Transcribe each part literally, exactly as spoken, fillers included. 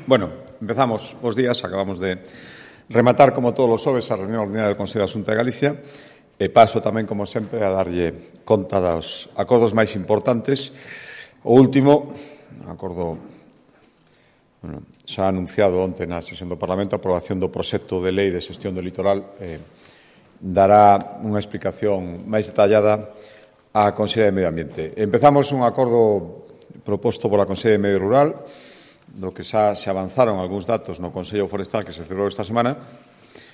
Bueno, empezamos os días, acabamos de rematar, como todos os xoves, a reunión ordinaria do Consello da Xunta de Galicia e paso tamén, como sempre, a darlle conta dos acordos máis importantes. O último, acordo bueno, xa anunciado onte na sesión do Parlamento, a aprobación do proxecto de lei de xestión do litoral, eh, dará unha explicación máis detallada á Consellería de Medio Ambiente. Empezamos un acordo proposto pola Consellería de Medio Rural, do que xa se avanzaron algúns datos no Consello Forestal que se celebrou esta semana,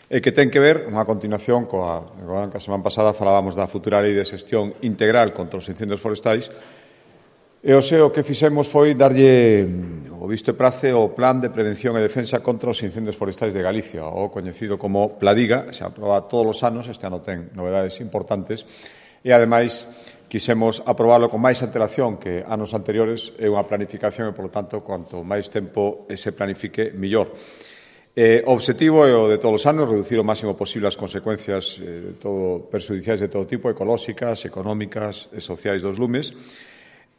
e que ten que ver, unha continuación coa que a semana pasada falábamos da futura lei de xestión integral contra os incendios forestais, e o seu que fixemos foi darlle o visto e prace ao Plan de Prevención e Defensa contra os Incendios Forestais de Galicia, o coñecido como Pladiga. Se aproba todos os anos, este ano ten novedades importantes, e, ademais, quixemos aprobarlo con máis antelación que anos anteriores, é unha planificación e, polo tanto, cuanto máis tempo se planifique, millor. Eh, o obxectivo é o de todos os anos, reducir o máximo posible as consecuencias eh, de todo, perxudiciais de todo tipo, ecolóxicas, económicas e sociais dos lumes,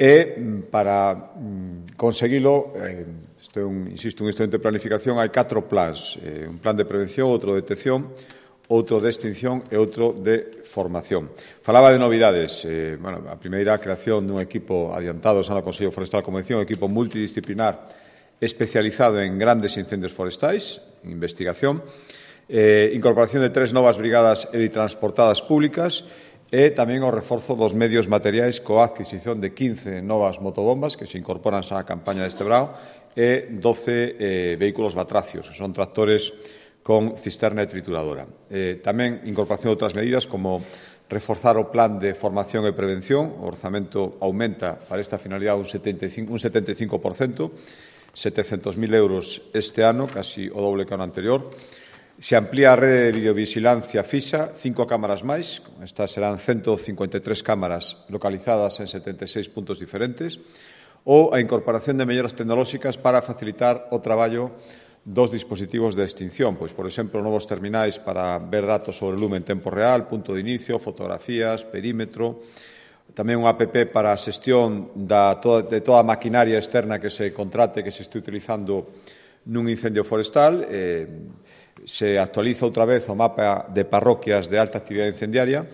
e para mm, conseguilo, eh, isto é un, insisto, un instrumento de planificación, hai catro plans, eh, un plan de prevención, outro de detección, outro de extinción e outro de formación. Falaba de novidades. Eh, bueno, a primeira, a creación dun equipo adiantado xa no Consello Forestal, como decía, un equipo multidisciplinar especializado en grandes incendios forestais, investigación, eh, incorporación de tres novas brigadas helitransportadas públicas e tamén o reforzo dos medios materiais coa adquisición de quince novas motobombas que se incorporan xa á campaña deste brao e doce eh, vehículos batracios, que son tractores con cisterna e trituradora. Eh, tamén incorporación de outras medidas como reforzar o plan de formación e prevención. O orzamento aumenta para esta finalidade un setenta e cinco por cento, setecentos mil euros este ano, casi o doble que o ano anterior. Se amplía a rede de videovigilancia fixa, cinco cámaras máis. Estas serán ciento cincuenta e tres cámaras localizadas en setenta e seis puntos diferentes. Ou a incorporación de melloras tecnolóxicas para facilitar o traballo dos dispositivos de extinción, pois, por exemplo, novos terminais para ver datos sobre o lume en tempo real, punto de inicio, fotografías, perímetro, tamén unha app para a xestión da, de toda a maquinaria externa que se contrate, que se este utilizando nun incendio forestal. Eh, se actualiza outra vez o mapa de parroquias de alta actividade incendiaria.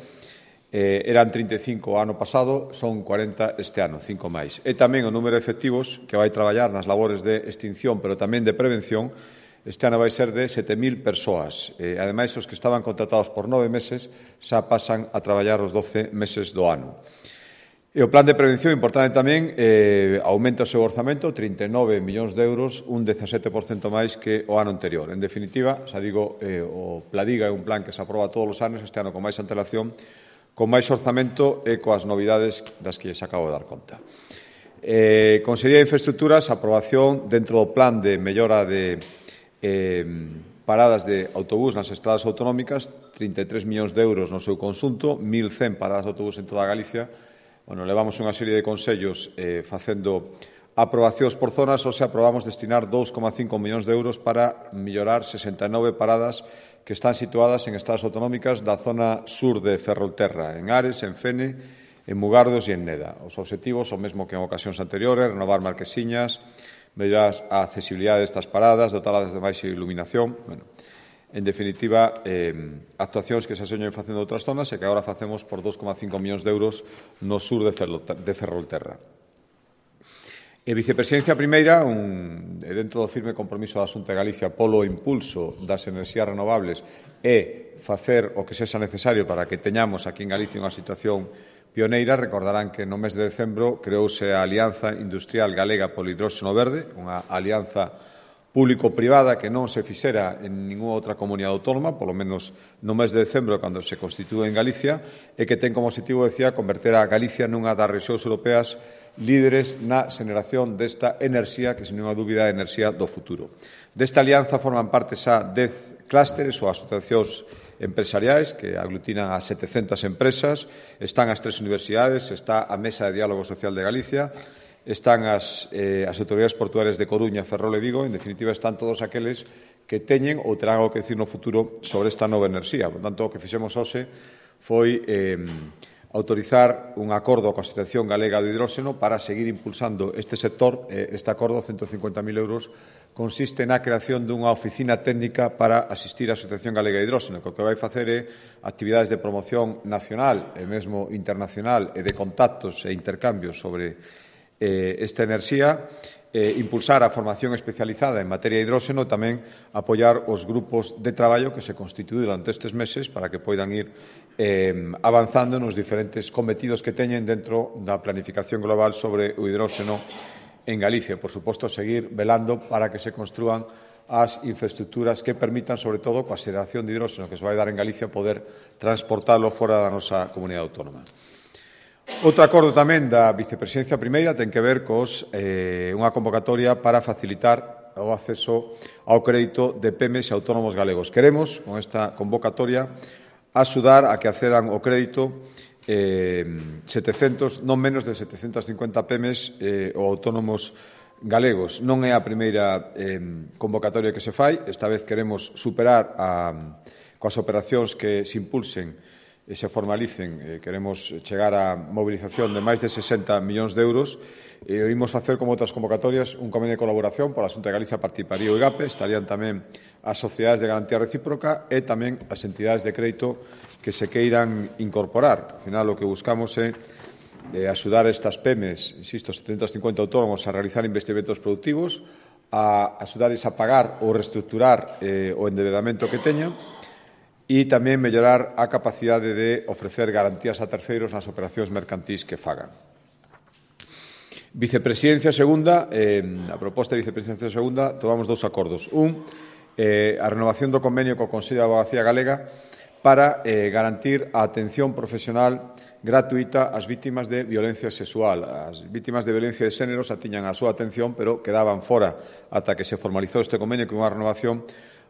Eh, eran trinta e cinco o ano pasado, son cuarenta este ano, cinco máis. E tamén o número de efectivos que vai traballar nas labores de extinción, pero tamén de prevención, este ano vai ser de sete mil persoas. Eh, ademais, os que estaban contratados por nove meses xa pasan a traballar os doce meses do ano. E o plan de prevención, importante tamén, eh, aumenta o seu orzamento, trinta e nove millóns de euros, un dezasete por cento máis que o ano anterior. En definitiva, xa digo, eh, o Pladiga é un plan que se aproba todos os anos, este ano con máis antelación, con máis orzamento e coas novidades das que lles acabo de dar conta. Eh, Consellería de Infraestructuras, aprobación dentro do plan de mellora de eh, paradas de autobús nas estradas autonómicas, trinta e tres millóns de euros no seu conxunto, mil cen paradas de autobús en toda Galicia. Bueno, levamos unha serie de consellos eh, facendo aprobacións por zonas, ou se aprobamos destinar dous coma cinco millóns de euros para mellorar sesenta e nove paradas que están situadas en estradas autonómicas da zona sur de Ferrolterra, en Ares, en Fene, en Mugardos e en Neda. Os obxectivos son mesmo que en ocasións anteriores, renovar marquesiñas, mellorar a accesibilidade destas paradas, dotalas de máis iluminación. Bueno, en definitiva, eh, actuacións que se señen facendo outras zonas e que agora facemos por dous coma cinco millóns de euros no sur de Ferrolterra. E vicepresidencia primeira, un, dentro do firme compromiso da Xunta de Galicia polo impulso das enerxías renovables e facer o que sexa necesario para que teñamos aquí en Galicia unha situación pioneira. Recordarán que no mes de decembro creouse a Alianza Industrial Galega polo Hidróxeno Verde, unha alianza público-privada que non se fixera en ninguna outra comunidade autónoma, polo menos no mes de decembro, cando se constitúe en Galicia, e que ten como objetivo, decía, converter a Galicia nunha das rexións europeas líderes na xeneración desta enerxía, que, sen ninguna dúbida, é a enerxía do futuro. Desta alianza forman parte xa dez clústeres ou asociacións empresariais que aglutinan a setecentas empresas, están as tres universidades, está a Mesa de Diálogo Social de Galicia, están as, eh, as autoridades portuarias de Coruña, Ferrol e Vigo. En definitiva, están todos aqueles que teñen ou terán algo que decir no futuro sobre esta nova enerxía. Por tanto, o que fixemos hoxe foi eh, autorizar un acordo coa Asociación Galega do Hidróxeno para seguir impulsando este sector. Este acordo, ciento cincuenta mil euros, consiste na creación dunha oficina técnica para asistir á Asociación Galega de Hidróxeno, que o que vai facer é actividades de promoción nacional e mesmo internacional e de contactos e intercambios sobre eh, esta enerxía, eh, impulsar a formación especializada en materia de hidróxeno e tamén apoiar os grupos de traballo que se constituíron durante estes meses para que poidan ir eh, avanzando nos diferentes cometidos que teñen dentro da planificación global sobre o hidróxeno en Galicia. Por suposto, seguir velando para que se construan as infraestructuras que permitan, sobre todo, coa xeración de hidróxeno que se vai dar en Galicia, poder transportalo fora da nosa comunidade autónoma. Outro acordo tamén da Vicepresidencia Primeira ten que ver cos eh, unha convocatoria para facilitar o acceso ao crédito de pymes e autónomos galegos. Queremos, con esta convocatoria, axudar a que accedan ao crédito eh, setecentos, non menos de setecentas cincuenta pymes eh, ou autónomos galegos. Non é a primeira eh, convocatoria que se fai. Esta vez queremos superar a, coas operacións que se impulsen e se formalicen. Eh, queremos chegar á mobilización de máis de sesenta millóns de euros. E eh, oímos facer, como outras convocatorias, un convenio de colaboración pola Xunta de Galicia, participaría o IGAPE, estarían tamén as sociedades de garantía recíproca e tamén as entidades de crédito que se queiran incorporar. Ao final, o que buscamos é eh, axudar a estas pymes, insisto, setecentos cincuenta autónomos a realizar investimentos productivos, a axudarles a pagar ou reestructurar eh, o endebedamento que teñan e tamén mellorar a capacidade de ofrecer garantías a terceiros nas operacións mercantís que fagan. Vicepresidencia segunda, eh, a proposta de Vicepresidencia segunda, tomamos dous acordos. Un, eh, a renovación do convenio co Consello de Abogacía Galega para eh, garantir a atención profesional gratuita ás vítimas de violencia sexual. As vítimas de violencia de xénero xa tiñan a súa atención, pero quedaban fora ata que se formalizou este convenio con unha renovación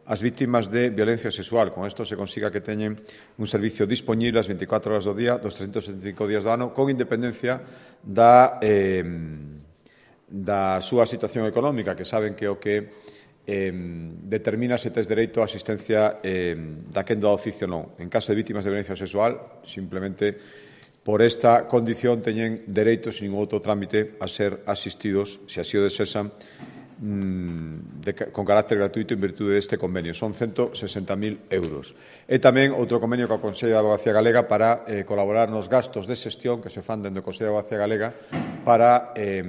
as vítimas de violencia sexual. Con isto se consiga que teñen un servicio disponible as veinticuatro horas do día, dos trescentos setenta e cinco días do ano, con independencia da, eh, da súa situación económica, que saben que o que eh, determina se tes dereito a asistencia eh, daquendo a oficio non. En caso de vítimas de violencia sexual, simplemente por esta condición teñen dereito, sin ningún outro trámite, a ser asistidos, se así o desexan, De, con carácter gratuito en virtude deste convenio. Son ciento sesenta mil euros. E tamén outro convenio co Consello de Abogacía Galega para eh, colaborar nos gastos de xestión que se fan dentro do Consello de Abogacía Galega para eh,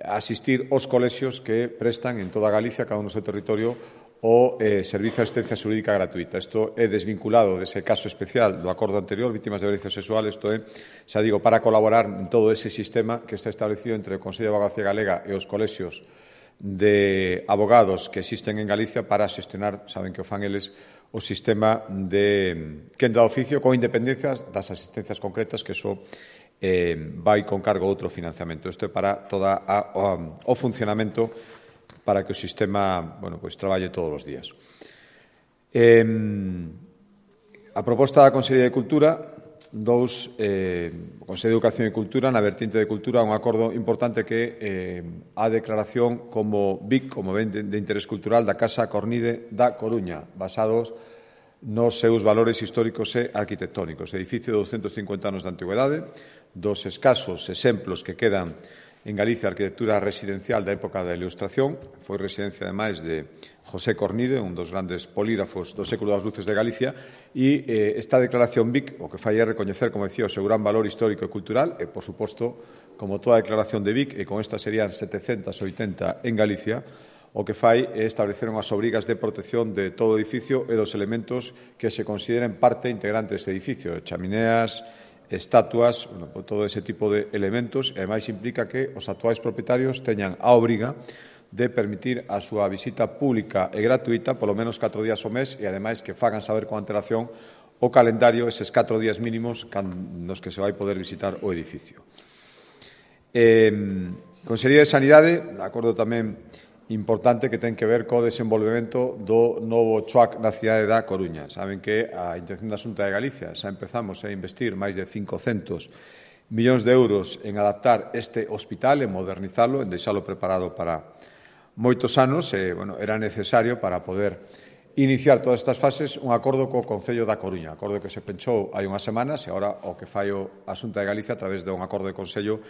asistir aos colexios que prestan en toda Galicia, cada un no seu territorio, o eh, servicio de asistencia xurídica gratuita. Isto é desvinculado dese caso especial do acordo anterior, vítimas de violencia sexual. Isto é, xa digo, para colaborar en todo ese sistema que está establecido entre o Consello de Abogacía Galega e os colexios de abogados que existen en Galicia para xestionar, saben que o fan eles, o sistema de quenda de oficio con independencia das asistencias concretas, que iso eh, vai con cargo outro financiamento. Isto é para toda a, o, o funcionamento para que o sistema, bueno, pois traballe todos os días. Eh, a proposta da Consellería de Cultura, dous, eh, o Consello de Educación e Cultura, na vertente de Cultura, un acordo importante que eh, a declaración como B I C, como ben de, de interés cultural, da Casa Cornide da Coruña, basados nos seus valores históricos e arquitectónicos. Edificio de doscientos cincuenta anos de antigüedade, dos escasos exemplos que quedan en Galicia a arquitectura residencial da época da Ilustración. Foi residencia, ademais, de José Cornide, un dos grandes polígrafos do século das luces de Galicia, e eh, esta declaración B I C o que fai é recoñecer, como decía, o seu gran valor histórico e cultural, e, por suposto, como toda declaración de B I C, e con esta serían setecentas oitenta en Galicia, o que fai é establecer unhas obrigas de protección de todo o edificio e dos elementos que se consideren parte integrante deste edificio, chamineas, estatuas, bueno, todo ese tipo de elementos, e ademais implica que os actuais propietarios teñan a obriga de permitir a súa visita pública e gratuita polo menos catro días ao mes, e ademais que fagan saber con antelación o calendario, eses catro días mínimos nos que se vai poder visitar o edificio. Eh, Consellería de Sanidade, de acordo tamén importante que ten que ver co desenvolvemento do novo C H U A C na cidade da Coruña. Saben que a intención da Xunta de Galicia xa empezamos a investir máis de cincocentos millóns de euros en adaptar este hospital, en modernizalo, en deixalo preparado para moitos anos. E, bueno, era necesario para poder iniciar todas estas fases un acordo co Concello da Coruña, acordo que se penchou hai unhas semanas e agora o que fai a Xunta de Galicia a través de un acordo de Concello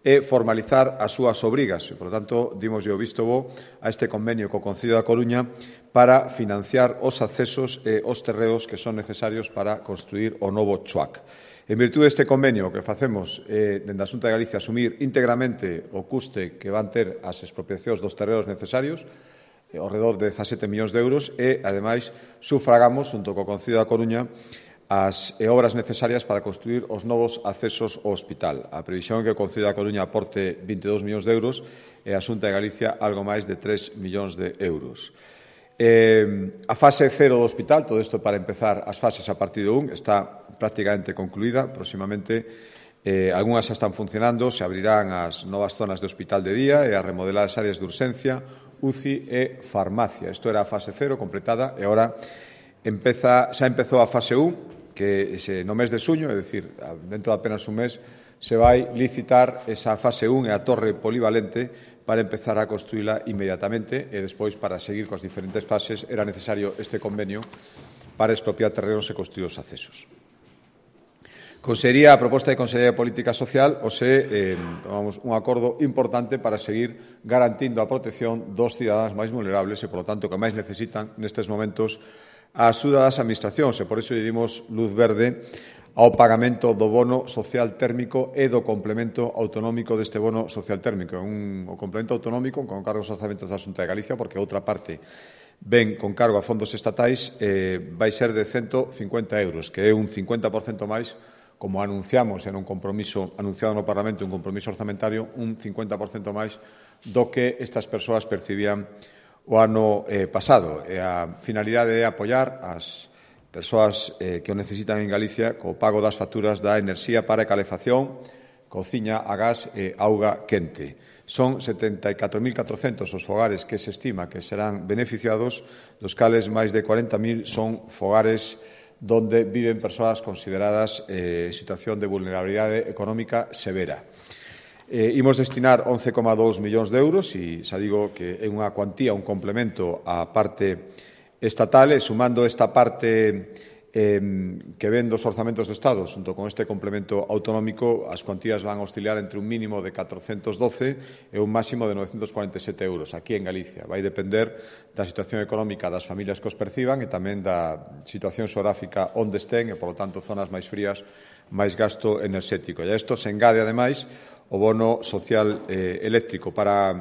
é formalizar as súas obrigas e, por lo tanto, dimos o visto bo a este convenio co Concello da Coruña para financiar os accesos e os terreos que son necesarios para construir o novo Chuac. En virtude deste convenio, o que facemos é, dende a Xunta de Galicia, asumir íntegramente o custe que van ter as expropiacións dos terreos necesarios, ao redor de dezasete millóns de euros, e, ademais, sufragamos, junto co Concello da Coruña, as obras necesarias para construir os novos accesos ao hospital. A previsión é que o Concello da Coruña aporte vinte e dous millóns de euros e a Xunta de Galicia algo máis de tres millóns de euros. Eh, a fase cero do hospital, todo isto para empezar as fases a partir do un, está prácticamente concluída. Próximamente, eh, algunhas xa están funcionando, se abrirán as novas zonas de hospital de día e a remodelar as áreas de urxencia, U C I e farmacia. Isto era a fase cero completada e agora empeza, xa empezou a fase un, que se, no mes de xuño, é dicir, dentro de apenas un mes, se vai licitar esa fase un e a torre polivalente para empezar a construíla inmediatamente e despois, para seguir coas diferentes fases, era necesario este convenio para expropiar terrenos e construir os accesos. Consellería, a proposta de Consellería de Política Social, o se eh, tomamos un acordo importante para seguir garantindo a protección dos cidadáns máis vulnerables e, polo tanto, que máis necesitan nestes momentos a axuda das administracións e, por iso, lle dimos luz verde ao pagamento do bono social térmico e do complemento autonómico deste bono social térmico. Un, o complemento autonómico con cargos aos orzamentos da Xunta de Galicia, porque a outra parte ben con cargo a fondos estatais, eh, vai ser de cento cincuenta euros, que é un cincuenta por cento máis, como anunciamos en un compromiso anunciado no Parlamento, un compromiso orzamentario, un cincuenta por cento máis do que estas persoas percibían o ano eh, pasado. E a finalidade é apoiar as persoas eh, que o necesitan en Galicia co pago das facturas da enerxía para calefacción, cociña a gas e auga quente. Son setenta e catro mil catrocentos os fogares que se estima que serán beneficiados, dos cales máis de cuarenta mil son fogares donde viven persoas consideradas eh, en situación de vulnerabilidade económica severa. Eh, imos destinar once coma dous millóns de euros e xa digo que é unha cuantía, un complemento á parte estatal e sumando esta parte eh, que ven dos orzamentos do Estado xunto con este complemento autonómico, as cuantías van a oscilar entre un mínimo de catrocentos doce e un máximo de novecentos cuarenta e sete euros aquí en Galicia. Vai depender da situación económica das familias que os perciban e tamén da situación xeográfica onde estén e, polo tanto, zonas máis frías, máis gasto enerxético. E a isto se engade, ademais, o bono social eh, eléctrico para,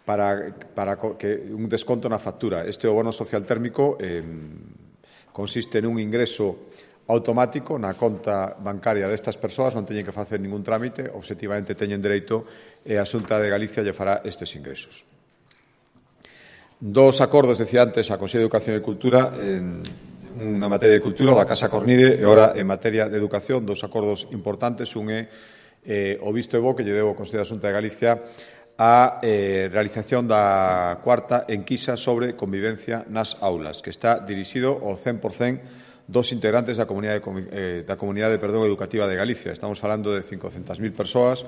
para, para que un desconto na factura. Este o bono social térmico eh, consiste nun ingreso automático na conta bancaria destas persoas, non teñen que facer ningún trámite, obxectivamente teñen dereito e a Xunta de Galicia lle fará estes ingresos. Dos acordos, decía antes, a Consello de Educación e Cultura en unha materia de cultura, da Casa Cornide, e agora en materia de educación, dos acordos importantes. Un é eh, o visto e bo que lle deu o Consello da Xunta de Galicia a eh, realización da cuarta enquisa sobre convivencia nas aulas, que está dirixido ao cen por cen dos integrantes da comunidade, eh, da comunidade perdón, educativa de Galicia. Estamos falando de cincocentas mil persoas,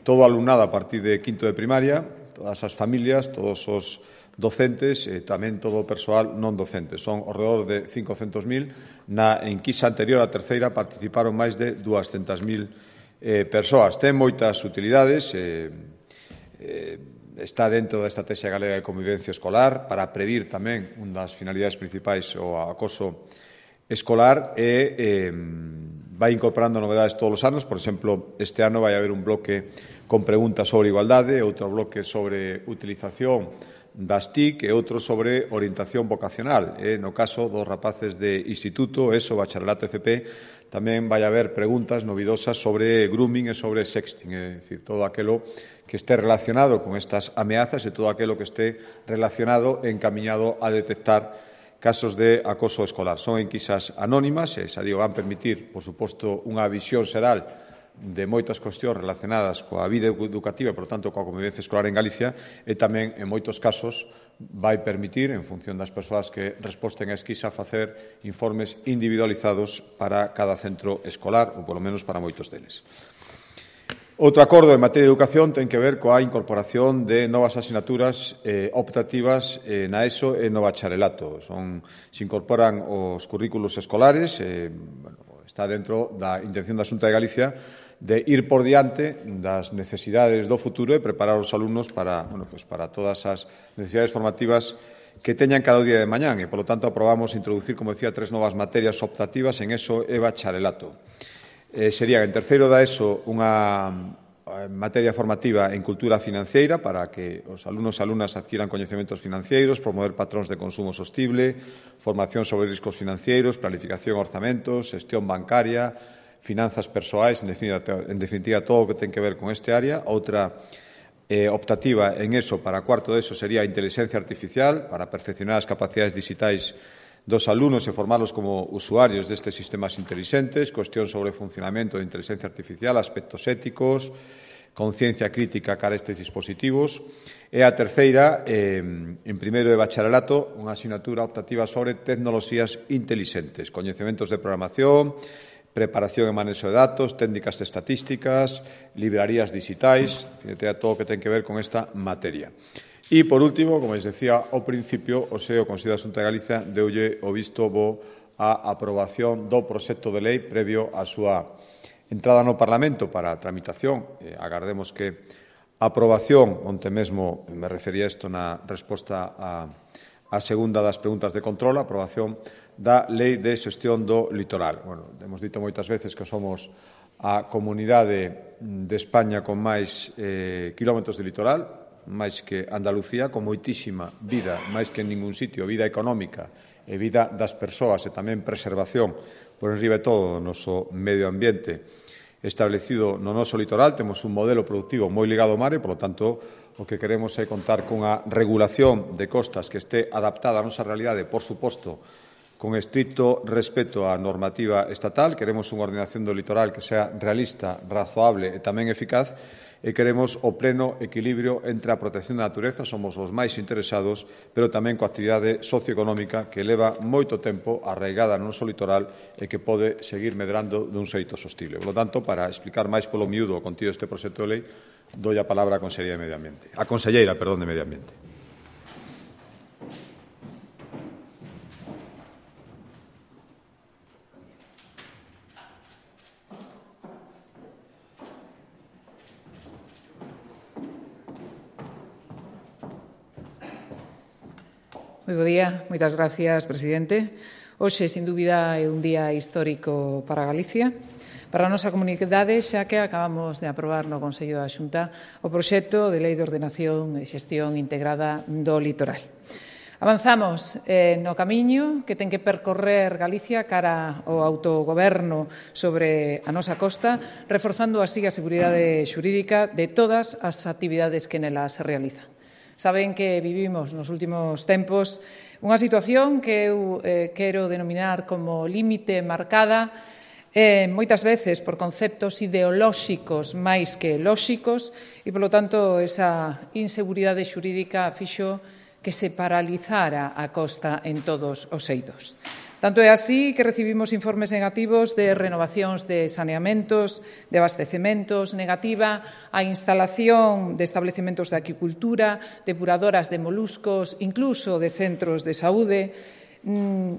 todo alumnado a partir de quinto de primaria, todas as familias, todos os docentes e tamén todo o persoal non docente. Son ao redor de cincocentos mil. Na enquisa anterior, a terceira, participaron máis de duascentas mil eh, persoas. Ten moitas utilidades, eh, eh, está dentro da Estrategia Galega de Convivencia Escolar para previr tamén unha das finalidades principais o acoso escolar e eh, vai incorporando novedades todos os anos. Por exemplo, este ano vai haber un bloque con preguntas sobre igualdade, outro bloque sobre utilización das T I C e outro sobre orientación vocacional. E, no caso dos rapaces de instituto, ESO, bacharelato, F P, tamén vai haber preguntas novidosas sobre grooming e sobre sexting, é dicir, todo aquilo que este relacionado con estas ameazas e todo aquilo que esté relacionado e encamiñado a detectar casos de acoso escolar. Son enquisas anónimas e, xa digo, van permitir, por suposto, unha visión xeral de moitas cuestións relacionadas coa vida educativa e, por tanto, coa convivencia escolar en Galicia e tamén, en moitos casos, vai permitir, en función das persoas que resposten a esquisa, facer informes individualizados para cada centro escolar, ou polo menos para moitos deles. Outro acordo en materia de educación ten que ver coa incorporación de novas asignaturas eh, optativas eh, na ESO e no bacharelato. Son, se incorporan os currículos escolares, eh, bueno, está dentro da intención da Xunta de Galicia de ir por diante das necesidades do futuro e preparar os alumnos para, bueno, pues para todas as necesidades formativas que teñan cada día de mañán e, polo tanto, aprobamos introducir, como decía, tres novas materias optativas en ESO e bacharelato. Eh, sería, en terceiro da ESO, unha materia formativa en cultura financiera para que os alumnos e alumnas adquiran coñecementos financeiros, promover patróns de consumo sostible, formación sobre riscos financeiros, planificación, orzamentos, xestión bancaria, finanzas persoais, en definitiva, en definitiva todo o que ten que ver con este área. Outra eh, optativa en ESO para cuarto de ESO sería a inteligencia artificial para perfeccionar as capacidades digitais dos alumnos e formarlos como usuarios destes sistemas inteligentes, cuestión sobre o funcionamento de inteligencia artificial, aspectos éticos, conciencia crítica cara a estes dispositivos. E a terceira, eh, en primeiro de bacharelato, unha asignatura optativa sobre tecnoloxías inteligentes, coñecementos de programación, preparación e manexo de datos, técnicas estatísticas, librarías digitais, en fin, todo o que ten que ver con esta materia. E, por último, como les decía ao principio, o SEO, o Consello da Xunta de Galicia, deulle o visto bo á aprobación do proxecto de lei previo á súa entrada no Parlamento para a tramitación. Eh, agardemos que a aprobación, onte mesmo me refería a isto na resposta a, a segunda das preguntas de control, a aprobación da Lei de Xestión do Litoral. Bueno, hemos dito moitas veces que somos a comunidade de España con máis eh, kilómetros de litoral, máis que Andalucía, con moitísima vida, máis que en ningún sitio, vida económica e vida das persoas e tamén preservación por enriba de todo o noso medio ambiente establecido no noso litoral. Temos un modelo productivo moi ligado ao mar e, polo tanto, o que queremos é contar cunha regulación de costas que este adaptada á nosa realidade, por suposto, con estricto respeto á normativa estatal. Queremos unha ordenación do litoral que sea realista, razoable e tamén eficaz, e queremos o pleno equilibrio entre a protección da natureza, somos os máis interesados, pero tamén coa actividade socioeconómica que leva moito tempo arraigada no noso litoral e que pode seguir medrando dun xeito sostible. Por lo tanto, para explicar máis polo miúdo o contido deste proxecto de lei, doi a palabra á Conselleira de Medio Ambiente. A Conselleira, perdón, de Medio Ambiente. Moi bo día, moitas gracias, presidente. Hoxe, sin dúbida, é un día histórico para Galicia, para a nosa comunidade, xa que acabamos de aprobar no Consello da Xunta o proxecto de Lei de Ordenación e Xestión Integrada do Litoral. Avanzamos eh, no camiño que ten que percorrer Galicia cara ao autogoberno sobre a nosa costa, reforzando así a seguridade xurídica de todas as actividades que nelas se realizan. Saben que vivimos nos últimos tempos unha situación que eu eh, quero denominar como límite marcada eh, moitas veces por conceptos ideolóxicos máis que lóxicos e, polo tanto, esa inseguridade xurídica fixo que se paralizara a costa en todos os eidos. Tanto é así que recibimos informes negativos de renovacións de saneamentos, de abastecementos, negativa a instalación de establecementos de aquicultura, depuradoras de moluscos, incluso de centros de saúde.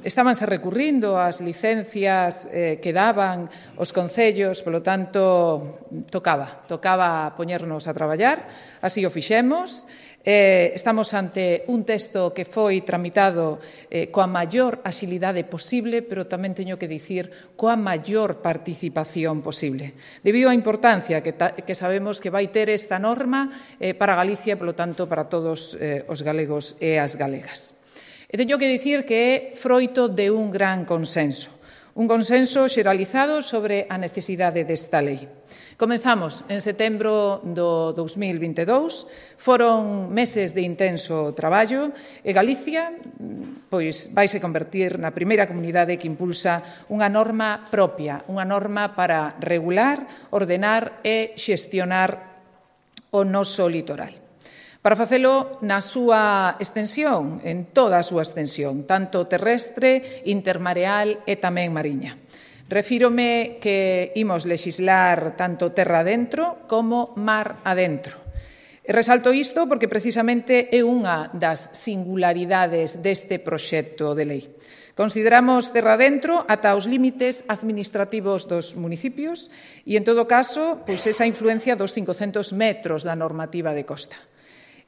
Estábanse recurrindo ás licencias eh, que daban os concellos, polo tanto, tocaba, tocaba poñernos a traballar, así o fixemos. Eh, estamos ante un texto que foi tramitado eh, coa maior axilidade posible, pero tamén teño que dicir coa maior participación posible, debido á importancia que, ta, que sabemos que vai ter esta norma eh, para Galicia e, polo tanto, para todos eh, os galegos e as galegas. E teño que dicir que é froito de un gran consenso, un consenso xeralizado sobre a necesidade desta lei. Comezamos en setembro do dous mil vinte e dous, foron meses de intenso traballo e Galicia pois vaise convertir na primeira comunidade que impulsa unha norma propia, unha norma para regular, ordenar e xestionar o noso litoral. Para facelo na súa extensión, en toda a súa extensión, tanto terrestre, intermareal e tamén mariña. Refírome que imos lexislar tanto terra adentro como mar adentro. E resalto isto porque precisamente é unha das singularidades deste proxecto de lei. Consideramos terra adentro ata os límites administrativos dos municipios e, en todo caso, pois esa influencia dos cincocentos metros da normativa de costa.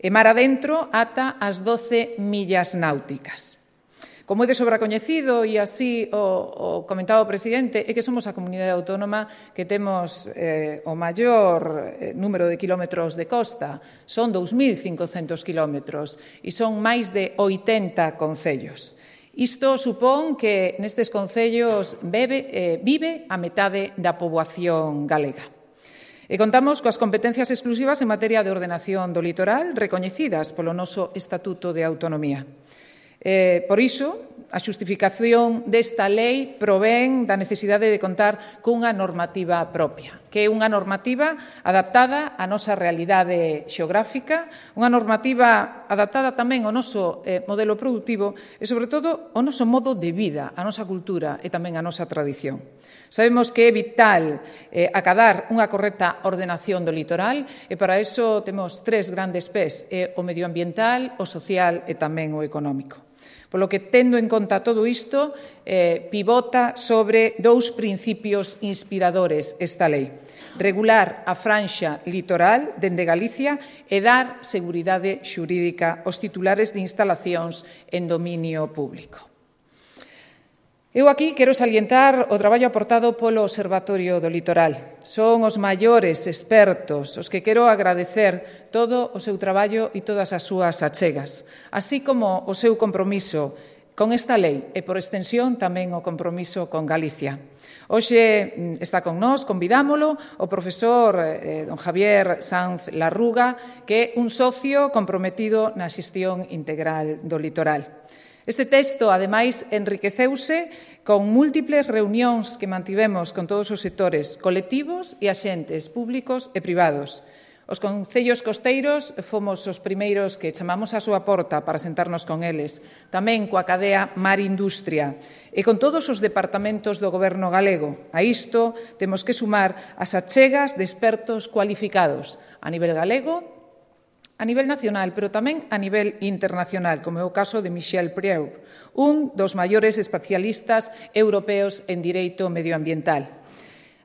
E mar adentro ata as doce millas náuticas. Como é de sobra coñecido, e así o, o comentaba o presidente, é que somos a comunidade autónoma que temos eh, o maior eh, número de kilómetros de costa. Son dous mil cincocentos kilómetros e son máis de oitenta concellos. Isto supón que nestes concellos bebe, eh, vive a metade da poboación galega. E contamos coas competencias exclusivas en materia de ordenación do litoral recoñecidas polo noso Estatuto de Autonomía. Eh, por iso, a xustificación desta lei provén da necesidade de contar cunha normativa propia, que é unha normativa adaptada á nosa realidade xeográfica, unha normativa adaptada tamén ao noso eh, modelo productivo e, sobre todo, ao noso modo de vida, á nosa cultura e tamén á nosa tradición. Sabemos que é vital eh, acadar unha correcta ordenación do litoral e para iso temos tres grandes pés, eh, o medioambiental, o social e tamén o económico. Polo que, tendo en conta todo isto, eh, pivota sobre dous principios inspiradores esta lei. Regular a franxa litoral dende Galicia e dar seguridade xurídica aos titulares de instalacións en dominio público. Eu aquí quero salientar o traballo aportado polo Observatorio do Litoral. Son os maiores expertos os que quero agradecer todo o seu traballo e todas as súas achegas, así como o seu compromiso con esta lei e, por extensión, tamén o compromiso con Galicia. Hoxe está con nós, convidámolo, o profesor eh, don Javier Sanz Larruga, que é un socio comprometido na xestión integral do litoral. Este texto, ademais, enriqueceuse con múltiples reunións que mantivemos con todos os sectores colectivos e axentes públicos e privados. Os concellos costeiros fomos os primeiros que chamamos a súa porta para sentarnos con eles, tamén coa cadea Mar Industria e con todos os departamentos do Goberno galego. A isto temos que sumar as achegas de expertos cualificados a nivel galego, a nivel nacional, pero tamén a nivel internacional, como é o caso de Michel Prieur, un dos maiores especialistas europeos en direito medioambiental.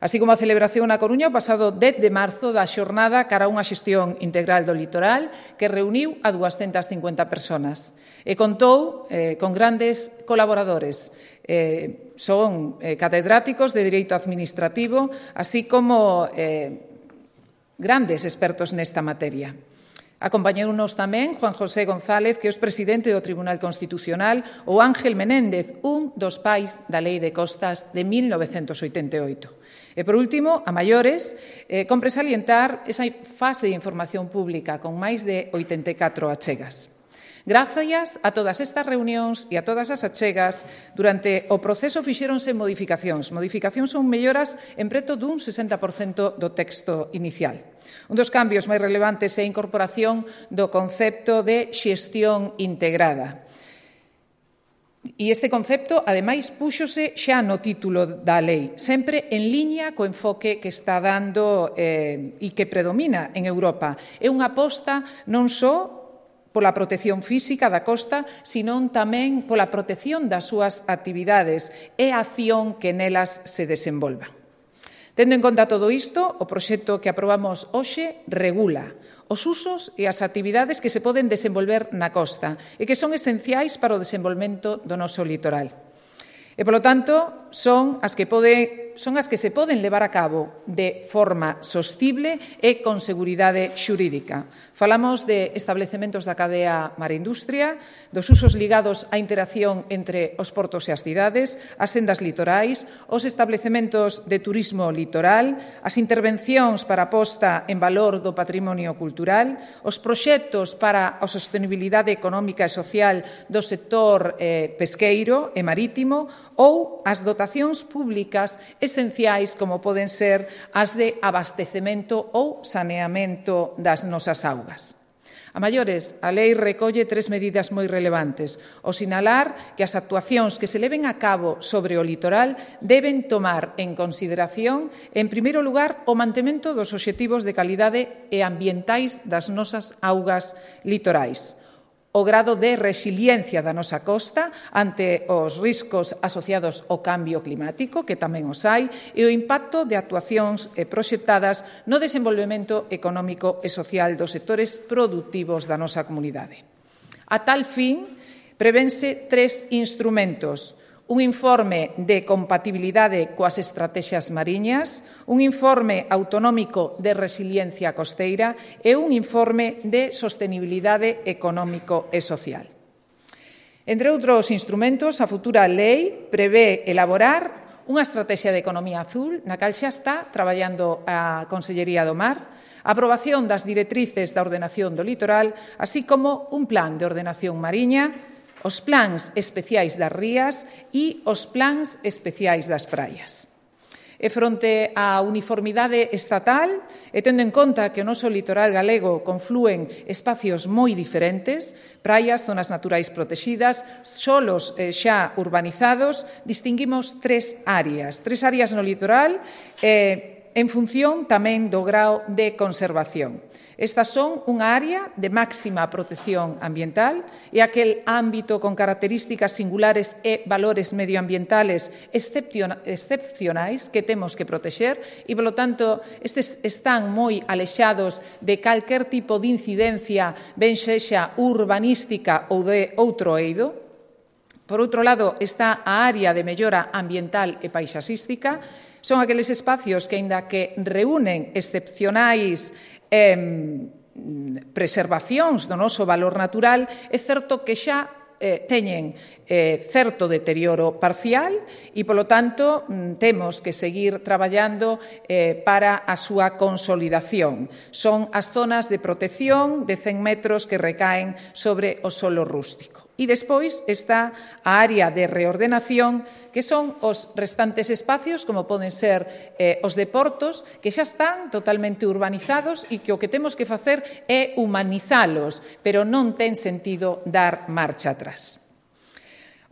Así como a celebración na Coruña o pasado dez de marzo da xornada cara a unha xestión integral do litoral que reuniu a duascentas cincuenta persoas e contou eh, con grandes colaboradores. Eh, son eh, catedráticos de Direito Administrativo, así como eh, grandes expertos nesta materia. Acompañounos tamén Juan José González, que é o presidente do Tribunal Constitucional, ou Ángel Menéndez, un dos pais da Lei de Costas de mil novecentos oitenta e oito. E, por último, a maiores, eh, compre salientar esa fase de información pública con máis de oitenta e catro achegas. Grazas a todas estas reunións e a todas as achegas, durante o proceso fixéronse modificacións. Modificacións son melloras en preto dun sesenta por cento do texto inicial. Un dos cambios máis relevantes é a incorporación do concepto de xestión integrada. E este concepto, ademais, púxose xa no título da lei, sempre en liña co enfoque que está dando eh, e que predomina en Europa. É unha aposta non só pola protección física da costa, senón tamén pola protección das súas actividades e a acción que nelas se desenvolva. Tendo en conta todo isto, o proxecto que aprobamos hoxe regula os usos e as actividades que se poden desenvolver na costa e que son esenciais para o desenvolvemento do noso litoral. E, polo tanto, son as que pode, son as que se poden levar a cabo de forma sostible e con seguridade xurídica. Falamos de establecementos da cadea Mar Industria, dos usos ligados á interacción entre os portos e as cidades, as sendas litorais, os establecementos de turismo litoral, as intervencións para a posta en valor do patrimonio cultural, os proxectos para a sostenibilidade económica e social do sector eh, pesqueiro e marítimo ou as dotacións públicas esenciais como poden ser as de abastecemento ou saneamento das nosas augas. A maiores, a lei recolle tres medidas moi relevantes. O sinalar que as actuacións que se leven a cabo sobre o litoral deben tomar en consideración, en primeiro lugar, o mantemento dos obxectivos de calidade e ambientais das nosas augas litorais, o grado de resiliencia da nosa costa ante os riscos asociados ao cambio climático, que tamén os hai, e o impacto de actuacións proxectadas no desenvolvemento económico e social dos sectores produtivos da nosa comunidade. A tal fin, prevense tres instrumentos: un informe de compatibilidade coas estratexias mariñas, un informe autonómico de resiliencia costeira e un informe de sostenibilidade económico e social. Entre outros instrumentos, a futura lei prevé elaborar unha estrategia de economía azul, na cal xa está traballando a Consellería do Mar, a aprobación das directrices da ordenación do litoral, así como un plan de ordenación mariña, os plans especiais das rías e os plans especiais das praias. E fronte á uniformidade estatal, e tendo en conta que o noso litoral galego conflúen espacios moi diferentes, praias, zonas naturais protegidas, solos eh, xa urbanizados, distinguimos tres áreas, tres áreas no litoral, eh, en función tamén do grao de conservación. Estas son unha área de máxima protección ambiental e aquel ámbito con características singulares e valores medioambientales excepcionais que temos que protexer e, polo tanto, estes están moi alexados de calquer tipo de incidencia, ben sexa urbanística ou de outro eido. Por outro lado, está a área de mellora ambiental e paisaxística. Son aqueles espacios que, aínda que reúnen excepcionais Eh, preservacións do noso valor natural, é certo que xa eh, teñen eh, certo deterioro parcial e, polo tanto, temos que seguir traballando eh, para a súa consolidación. Son as zonas de protección de cen metros que recaen sobre o solo rústico. E despois está a área de reordenación, que son os restantes espacios, como poden ser eh, os de portos, que xa están totalmente urbanizados e que o que temos que facer é humanizalos, pero non ten sentido dar marcha atrás.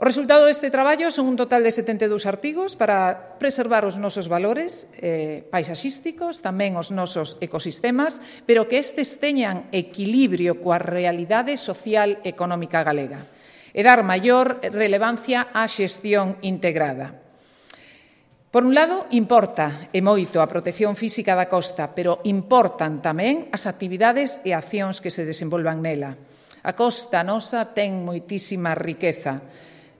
O resultado deste traballo son un total de setenta e dous artigos para preservar os nosos valores eh, paisaxísticos, tamén os nosos ecosistemas, pero que estes teñan equilibrio coa realidade social e económica galega e dar maior relevancia á xestión integrada. Por un lado, importa e moito a protección física da costa, pero importan tamén as actividades e accións que se desenvolvan nela. A costa nosa ten moitísima riqueza.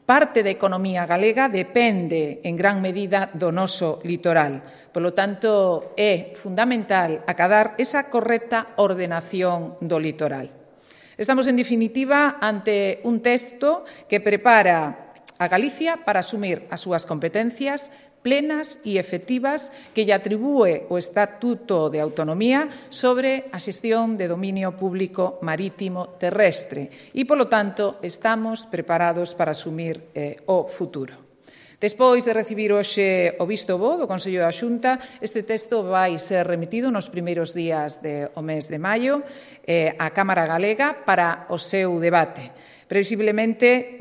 Parte da economía galega depende en gran medida do noso litoral. Polo tanto, é fundamental acadar esa correcta ordenación do litoral. Estamos, en definitiva, ante un texto que prepara a Galicia para asumir as súas competencias plenas e efectivas que lle atribúe o Estatuto de Autonomía sobre a xestión de dominio público marítimo terrestre e, polo tanto, estamos preparados para asumir eh, o futuro. Despois de recibir hoxe o visto bo do Consello da Xunta, este texto vai ser remitido nos primeiros días do mes de maio eh, á Cámara Galega para o seu debate. Previsiblemente,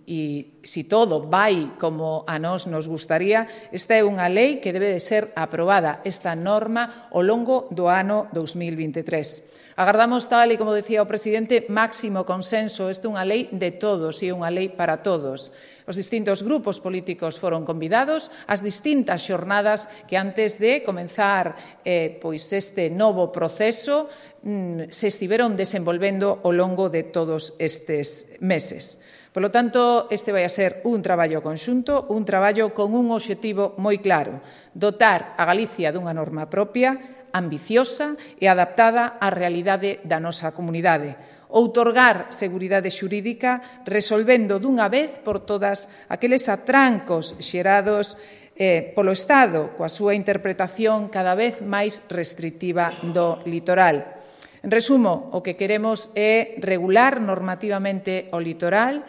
e se todo vai como a nós nos gustaría, esta é unha lei que debe de ser aprobada, esta norma, ao longo do ano dous mil vinte e tres. Agardamos, tal e como decía o presidente, máximo consenso. Esta é unha lei de todos e unha lei para todos. Os distintos grupos políticos foron convidados ás distintas xornadas que antes de comenzar eh, pois este novo proceso mm, se estiveron desenvolvendo ao longo de todos estes meses. Por lo tanto, este vai a ser un traballo conxunto, un traballo con un obxectivo moi claro: dotar a Galicia dunha norma propia, ambiciosa e adaptada á realidade da nosa comunidade, outorgar seguridade xurídica resolvendo dunha vez por todas aqueles atrancos xerados eh, polo Estado coa súa interpretación cada vez máis restrictiva do litoral. En resumo, o que queremos é regular normativamente o litoral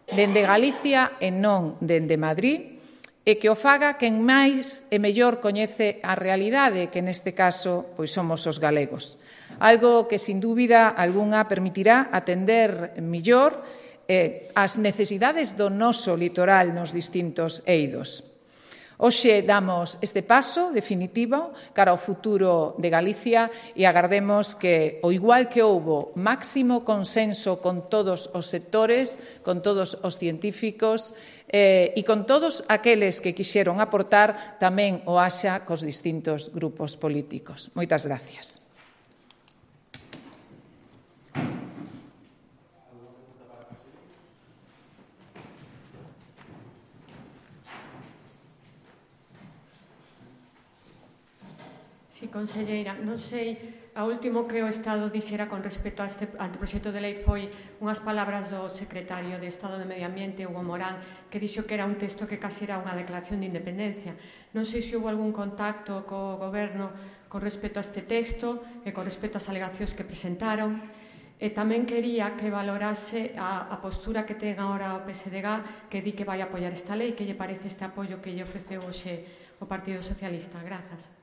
dende Galicia e non dende Madrid, e que o faga quen máis e mellor coñece a realidade, que neste caso pois somos os galegos. Algo que, sin dúbida algunha, permitirá atender mellor eh, as necesidades do noso litoral nos distintos eidos. Hoxe damos este paso definitivo cara ao futuro de Galicia e agardemos que, ao igual que houbo máximo consenso con todos os sectores, con todos os científicos eh, e con todos aqueles que quixeron aportar, tamén o haxa cos distintos grupos políticos. Moitas gracias. Sí, conselleira, non sei, a último que o Estado dixera con respecto a este anteproxecto de lei foi unhas palabras do secretario de Estado de Medio Ambiente, Hugo Morán, que dixo que era un texto que casi era unha declaración de independencia. Non sei se houve algún contacto co goberno con respecto a este texto e con respecto ás alegacións que presentaron. E tamén quería que valorase a, a postura que ten agora o P S D G, que di que vai apoiar esta lei, que lle parece este apoio que lle ofreceu hoxe o Partido Socialista. Grazas.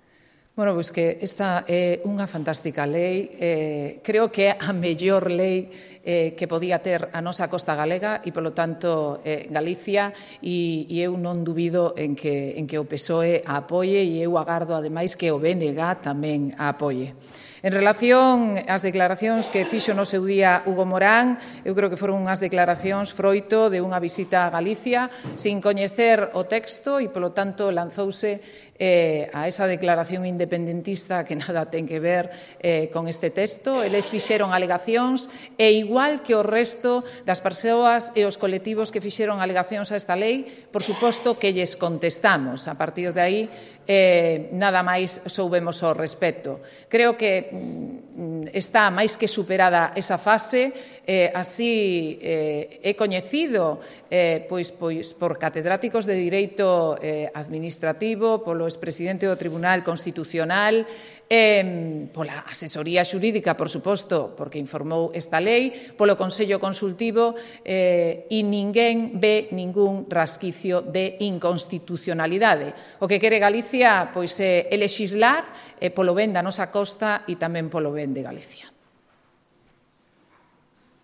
Bueno, pois que esta é unha fantástica lei, eh, creo que é a mellor lei eh, que podía ter a nosa costa galega e, polo tanto, eh, Galicia, e, e eu non dubido en que, en que o P S O E a apoie e eu agardo, ademais, que o B N G tamén a apoie. En relación ás declaracións que fixo no seu día Hugo Morán, eu creo que foron unhas declaracións froito de unha visita a Galicia sin coñecer o texto e, polo tanto, lanzouse eh, a esa declaración independentista que nada ten que ver eh, con este texto. Eles fixeron alegacións e, igual que o resto das persoas e os colectivos que fixeron alegacións a esta lei, por suposto que lles contestamos. A partir de aí, eh, nada máis soubemos ao respecto. Creo que mm, está máis que superada esa fase, eh, así eh, é coñecido eh, pois, pois, por catedráticos de Direito eh, Administrativo, polo expresidente do Tribunal Constitucional, eh, pola asesoría xurídica, por suposto, porque informou esta lei, polo Consello Consultivo, eh, e ninguén ve ningún rasquicio de inconstitucionalidade. O que quere Galicia pois, é lexislar eh, polo ben da nosa costa e tamén polo ben de Galicia.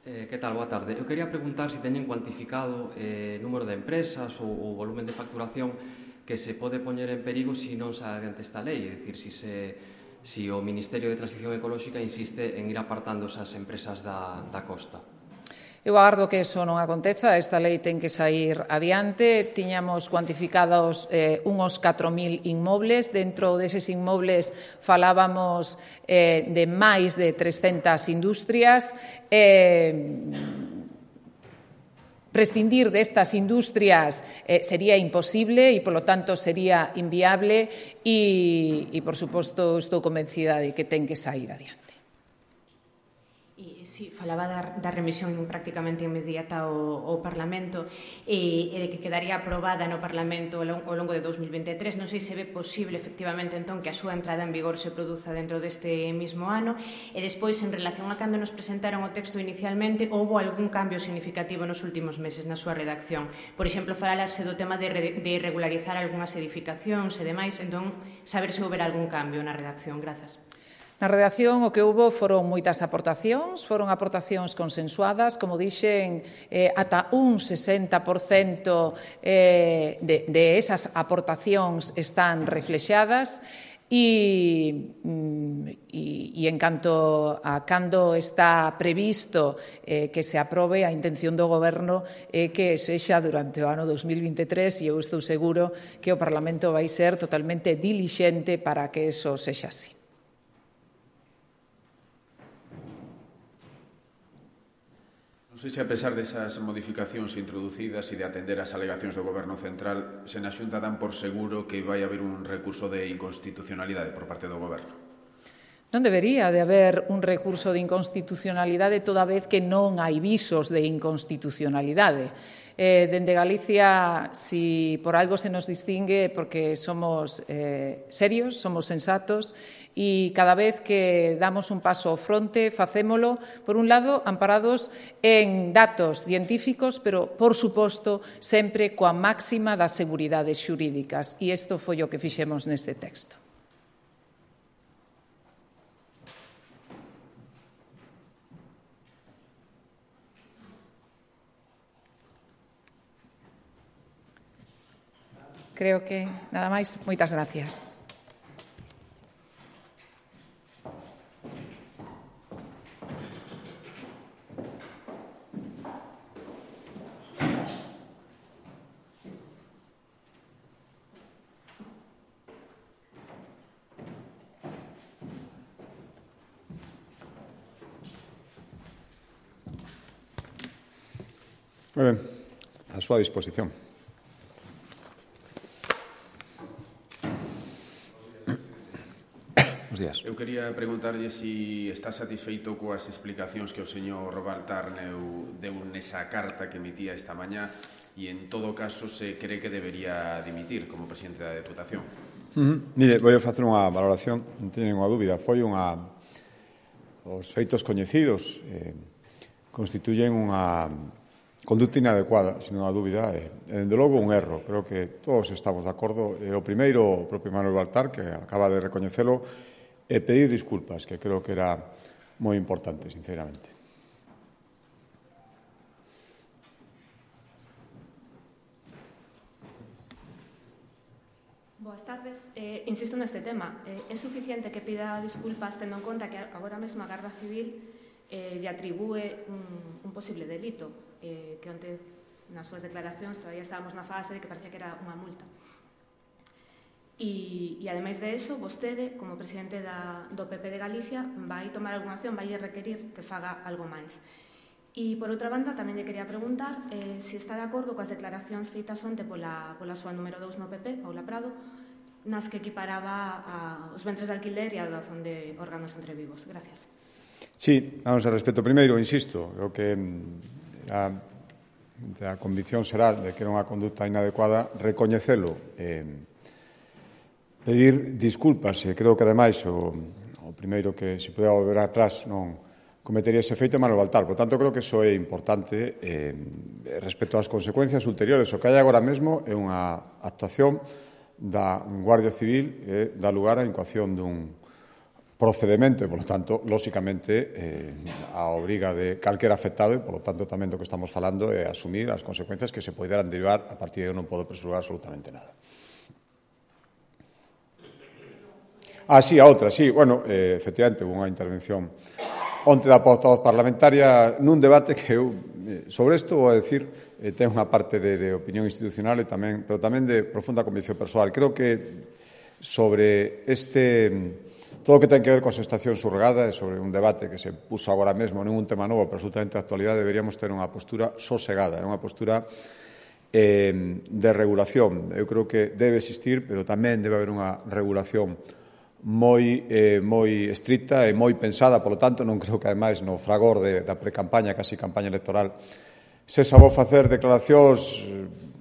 Eh, que tal? Boa tarde. Eu quería preguntar se teñen cuantificado o eh, número de empresas ou o volumen de facturación que se pode poñer en perigo se non se adiante esta lei, é dicir, se, se, se o Ministerio de Transición Ecolóxica insiste en ir apartando esas empresas da, da costa. Eu agardo que eso non aconteza, esta lei ten que sair adiante. Tiñamos cuantificados eh, unhos catro mil inmobles, dentro deses inmobles falábamos eh, de máis de trescentas industrias. Eh, prescindir destas industrias eh, sería imposible e, polo tanto, sería inviable e, e, por suposto, estou convencida de que ten que sair adiante. Sí, falaba da, da remisión prácticamente inmediata ao, ao Parlamento e, e de que quedaría aprobada no Parlamento ao longo de dos mil veintitrés. Non sei se ve posible, efectivamente, entón, que a súa entrada en vigor se produza dentro deste mismo ano. E despois, en relación a cando nos presentaron o texto inicialmente, houbo algún cambio significativo nos últimos meses na súa redacción. Por exemplo, falase do tema de, re, de regularizar algunhas edificacións e demais, entón, saber se houbera algún cambio na redacción. Grazas. Na redacción o que houbo foron moitas aportacións, foron aportacións consensuadas, como dixen, eh, ata un sesenta por cento eh, de, de esas aportacións están reflexadas e, e, e en canto a cando está previsto eh, que se aprobe, a intención do Goberno é que sexa durante o ano dos mil veintitrés e eu estou seguro que o Parlamento vai ser totalmente dilixente para que eso sexa así. Non sei se, a pesar desas modificacións introducidas e de atender as alegacións do Goberno Central, se na Xunta dan por seguro que vai haber un recurso de inconstitucionalidade por parte do Goberno. Non debería de haber un recurso de inconstitucionalidade toda vez que non hai visos de inconstitucionalidade. Eh, dende Galicia, si por algo se nos distingue, porque somos eh, serios, somos sensatos, e cada vez que damos un paso ao fronte, facémolo, por un lado, amparados en datos científicos, pero, por suposto, sempre coa máxima das seguridades xurídicas. E isto foi o que fixemos neste texto. Creo que nada máis. Moitas gracias. Moi ben, a súa disposición. Eu quería preguntarlle se está satisfeito coas explicacións que o señor Baltar deu nesa carta que emitía esta mañá e, en todo caso, se cree que debería dimitir como presidente da Deputación. Uh-huh. Mire, vou facer unha valoración, non teño ninguna dúbida. Foi unha... Os feitos coñecidos eh, constituyen unha conducta inadecuada, sin ninguna dúbida, e, dende logo, un erro. Creo que todos estamos de acordo. E o primeiro, o propio Manuel Baltar, que acaba de recoñecelo, e pedir disculpas, que creo que era moi importante, sinceramente. Boas tardes. Eh, insisto neste tema. Eh, é suficiente que pida disculpas tendo en conta que agora mesmo a Garda Civil eh, lle atribúe un, un posible delito, eh, que onte nas súas declaracións todavía estábamos na fase de que parecía que era unha multa. E, e ademais de eso, vostede, como presidente da, do P P de Galicia, vai tomar algunha acción, vai requerir que faga algo máis. E, por outra banda, tamén lle quería preguntar eh, se está de acordo coas declaracións feitas onte pola, pola súa número dous no P P, Paula Prado, nas que equiparaba a, os ventres de alquiler e a doazón de órganos entre vivos. Gracias. Sí, vamos a respecto. Primeiro, insisto, o que a, a convicción será de que era unha conducta inadecuada, recoñecelo, eh, pedir disculpas, e creo que, ademais, o, o primeiro que se pudera volver atrás non cometería ese feito é Manuel Baltar. Por tanto, creo que iso é importante eh, respecto ás consecuencias ulteriores. O que hai agora mesmo é unha actuación da Guardia Civil e dá lugar á incoación dun procedimento e, por lo tanto, lóxicamente, eh, a obriga de calquera afectado e, por lo tanto, tamén do que estamos falando é asumir as consecuencias que se poderan derivar. A partir de aí non podo presurar absolutamente nada. Ah, sí, a outra, sí. Bueno, eh, efectivamente, houve unha intervención onte da portavoz parlamentaria nun debate que eu, sobre isto, vou a decir, eh, ten unha parte de, de opinión institucional e tamén, pero tamén de profunda convicción persoal. Creo que sobre este, todo o que ten que ver coa xestación surrogada e sobre un debate que se puso agora mesmo, non un tema novo, pero absolutamente de actualidade, deberíamos ter unha postura sosegada, unha postura eh, de regulación. Eu creo que debe existir, pero tamén debe haber unha regulación moi, eh, moi estricta e moi pensada, polo tanto, non creo que, ademais, no fragor de, da precampaña, casi campaña electoral, se sabou facer declaracións,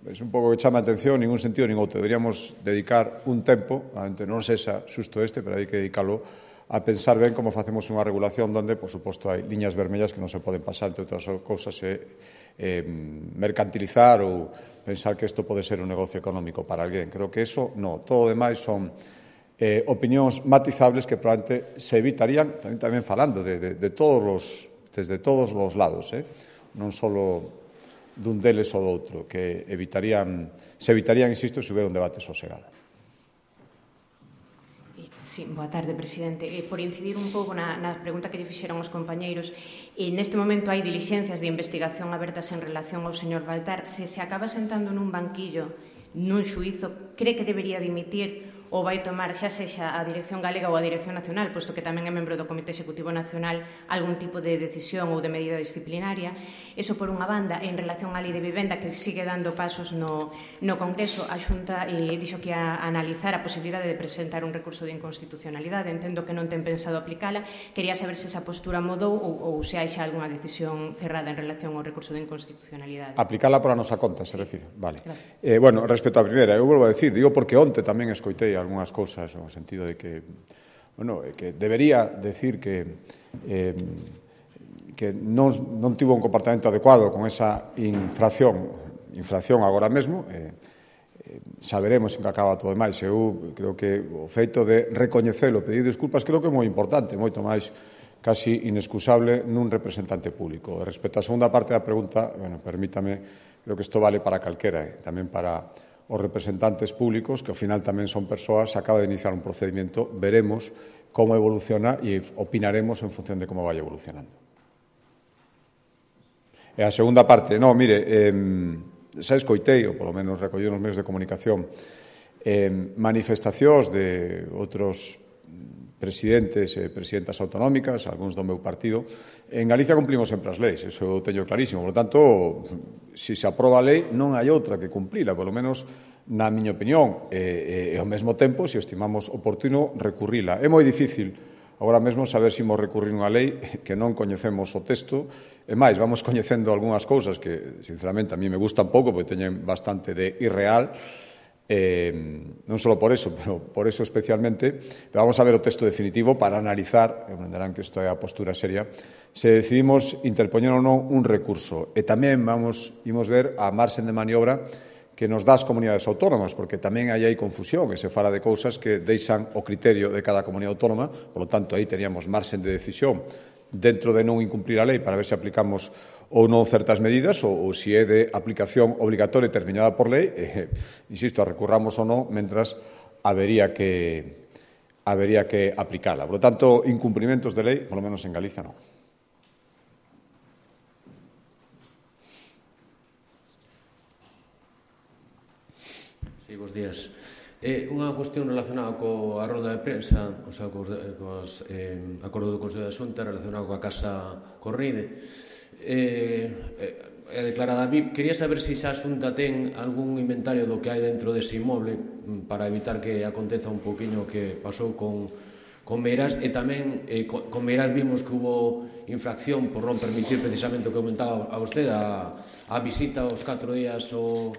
é un pouco que chama a atención, ningún sentido nin outro. Deberíamos dedicar un tempo, non sexa xusto este, pero hai que dedicalo a pensar ben como facemos unha regulación onde, por suposto, hai liñas vermellas que non se poden pasar, entre outras cousas, e eh, mercantilizar ou pensar que isto pode ser un negocio económico para alguén. Creo que eso, no. Todo o demais son Eh, opinións matizables que probablemente se evitarían, tamén, tamén falando de, de, de todos los, desde todos os lados, eh? non só dun deles ou do outro, que evitarían, se evitarían, insisto, se hubiera un debate sosegado. Sí, boa tarde, presidente. Eh, por incidir un pouco na, na pregunta que lle fixeron os compañeiros, eh, neste momento hai dilixencias de investigación abertas en relación ao señor Baltar. Se se acaba sentando nun banquillo, nun xuízo, cree que debería dimitir o vai tomar xa sexa a Dirección Galega ou a Dirección Nacional, posto que tamén é membro do Comité Executivo Nacional, algún tipo de decisión ou de medida disciplinaria. Eso por unha banda. En relación á Lei de Vivenda, que sigue dando pasos no, no Congreso, a Xunta eh, dixo que ia analizar a posibilidade de presentar un recurso de inconstitucionalidade. Entendo que non ten pensado aplicala. Quería saber se esa postura mudou ou, ou se hai xa algunha decisión cerrada en relación ao recurso de inconstitucionalidade. Aplicala por a nosa conta, se refire. Vale. Eh, bueno, respecto á primeira, eu volvo a decir, digo porque onte tamén escoitei algunhas cousas no sentido de que, bueno, que debería decir que eh, que non, non tivo un comportamento adecuado con esa infracción, infracción agora mesmo, eh, eh, saberemos en que acaba todo demais. Eu creo que o feito de recoñecelo, pedir desculpas, creo que é moi importante, moito máis casi inexcusable nun representante público. Respecto á segunda parte da pregunta, bueno, permítame, creo que isto vale para calquera, eh, tamén para os representantes públicos, que ao final tamén son persoas, se acaba de iniciar un procedimento, veremos como evoluciona e opinaremos en función de como vai evolucionando. E a segunda parte, no, mire, eh, xa escoitei, ou polo menos recollí nos medios de comunicación, eh, manifestacións de outros presidentes e presidentas autonómicas, algúns do meu partido. En Galicia cumplimos sempre as leis, eso eu teño clarísimo. Por lo tanto, se se aproba a lei, non hai outra que cumplila, polo menos na miña opinión. E, e, e ao mesmo tempo, se estimamos oportuno, recurrila. É moi difícil agora mesmo saber se imos recurrir unha lei que non coñecemos o texto. E máis, vamos coñecendo algunhas cousas que, sinceramente, a mí me gustan pouco, porque teñen bastante de irreal. Eh, non só por eso, pero por eso especialmente, pero vamos a ver o texto definitivo para analizar, e entenderán que isto é a postura seria, se decidimos interpoñer ou non un recurso. E tamén vamos imos ver a marxen de maniobra que nos dá as comunidades autónomas, porque tamén aí hai confusión e se fala de cousas que deixan o criterio de cada comunidade autónoma, por lo tanto, aí teríamos marxen de decisión dentro de non incumplir a lei para ver se aplicamos ou non certas medidas ou, ou se é de aplicación obligatoria determinada por lei, eh, insisto, recurramos ou non, mentras habería que habería que aplicala. Por lo tanto, incumprimentos de lei, por lo menos en Galicia, non. Sí, bons días. Eh, unha cuestión relacionada coa rolda de prensa, o sea, cos, cos eh, acordo do Consello da Xunta relacionado coa Casa Corride. Eh, eh, é declarada V I P. Quería saber se xa a Xunta ten algún inventario do que hai dentro dese inmoble para evitar que aconteza un poquinho que pasou con, con Meirás, e tamén eh, con, con Meirás vimos que hubo infracción por non permitir precisamente o que comentaba a vostede, a, a visita aos catro días o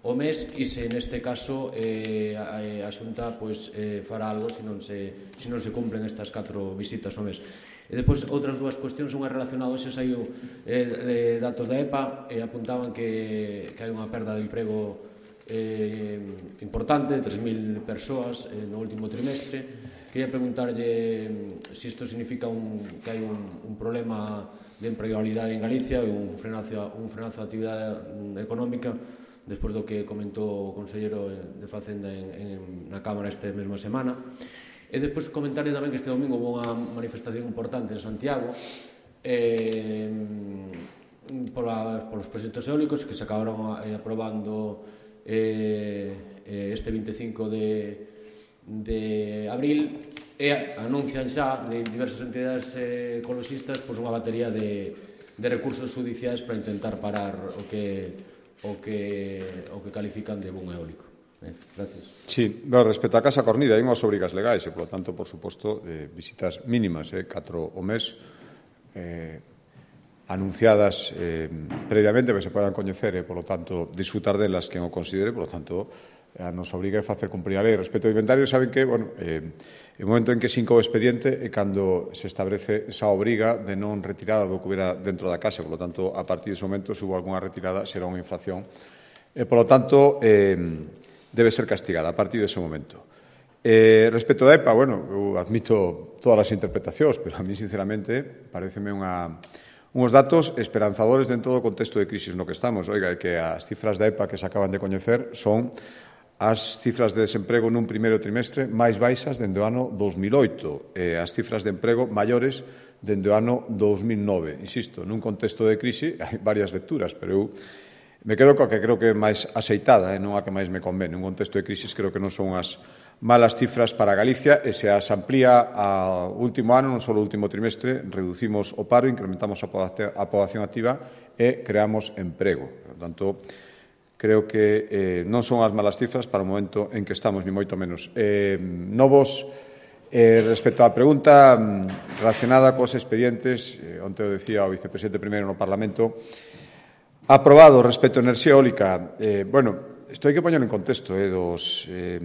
o mes, e se neste caso eh, a, a Xunta pues, eh, fará algo se non se, se non se cumplen estas catro visitas ao mes. E depois, outras dúas cuestións, unha relacionada, hoxe saiu eh, datos da E P A e apuntaban que, que hai unha perda de emprego eh, importante, tres mil persoas eh, no último trimestre. Quería preguntarlle se isto significa un, que hai un, un problema de empregabilidade en Galicia e un frenazo, un frenazo de actividade económica, despois do que comentou o Conselleiro de Facenda en, en, na Cámara esta mesma semana. E despois comentarle tamén que este domingo houve unha manifestación importante en Santiago eh, pola, polos proxectos eólicos que se acabaron eh, aprobando eh, este vinte e cinco de, de abril, e anuncian xa de diversas entidades eh, ecologistas pues, unha batería de, de recursos judiciais para intentar parar o que o que, o que califican de boom eólico. Eh, gracias. Sí, bueno, respecto á Casa Cornida, hai unhas obrigas legais e, polo tanto, por suposto, eh, visitas mínimas, eh, catro o mes, eh, anunciadas eh, previamente que se podan coñecer e, polo tanto, disfrutar delas quen o considere, polo tanto, a nos obriga a facer cumprir a lei. Respecto ao inventario, saben que, bueno, eh, o momento en que se inca o expediente é cando se establece esa obriga de non retirada do que hubiera dentro da casa, polo tanto, a partir dese momento, se hubo algunha retirada, será unha infracción. E, polo tanto, eh, debe ser castigada a partir dese momento. Eh, respecto da E P A, bueno, eu admito todas as interpretacións, pero a mí, sinceramente, pareceme unha... Uns datos esperanzadores dentro do contexto de crisis no que estamos. Oiga, é que as cifras da E P A que se acaban de coñecer son as cifras de desemprego nun primeiro trimestre máis baixas dende o ano dos mil oito e as cifras de emprego maiores dende o ano dos mil nove. Insisto, nun contexto de crise hai varias lecturas, pero eu me quedo coa que creo que é máis aceitada, eh, non a que máis me convene. Un contexto de crisis creo que non son as, malas cifras para Galicia e se as amplía ao último ano, non só o último trimestre, reducimos o paro, incrementamos a poboación activa e creamos emprego. Por tanto, creo que eh, non son as malas cifras para o momento en que estamos, ni moito menos. Eh, novos, eh, respecto á pregunta relacionada cos expedientes, eh, onte o decía o vicepresidente primeiro no Parlamento, aprobado respecto a enerxía eólica. Eh, bueno, isto hai que poñer en contexto, eh, dos... Eh,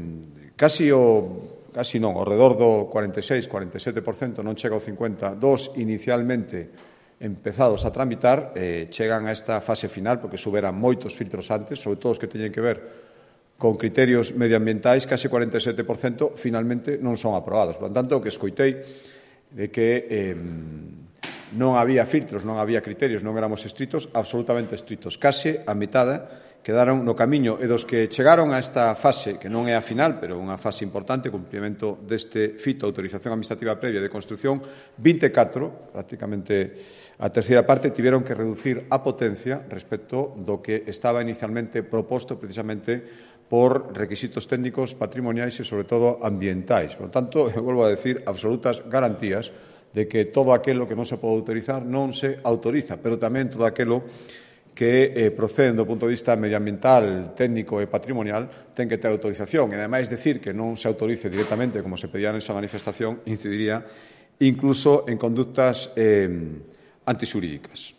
Casi o, casi non, ao redor do cuarenta e seis, cuarenta e sete por cento, non chega ao cincuenta por cento, dos inicialmente empezados a tramitar, eh, chegan a esta fase final, porque superan moitos filtros antes, sobre todo os que teñen que ver con criterios medioambientais, casi cuarenta e sete por cento finalmente non son aprobados. Por tanto, o que escoitei de que eh, non había filtros, non había criterios, non éramos estritos, absolutamente estritos. Case a metade quedaron no camiño e dos que chegaron a esta fase, que non é a final, pero unha fase importante, cumprimento deste fito, autorización administrativa previa de construción, vinte e catro, prácticamente a terceira parte, tiveron que reducir a potencia respecto do que estaba inicialmente proposto precisamente por requisitos técnicos, patrimoniais e, sobre todo, ambientais. Por lo tanto, eu volvo a decir, absolutas garantías de que todo aquilo que non se pode autorizar non se autoriza, pero tamén todo aquilo que eh, proceden do punto de vista medioambiental, técnico e patrimonial ten que ter autorización. E, ademais, decir que non se autorice directamente, como se pedía nesa manifestación, incidiría incluso en conductas eh, antixurídicas.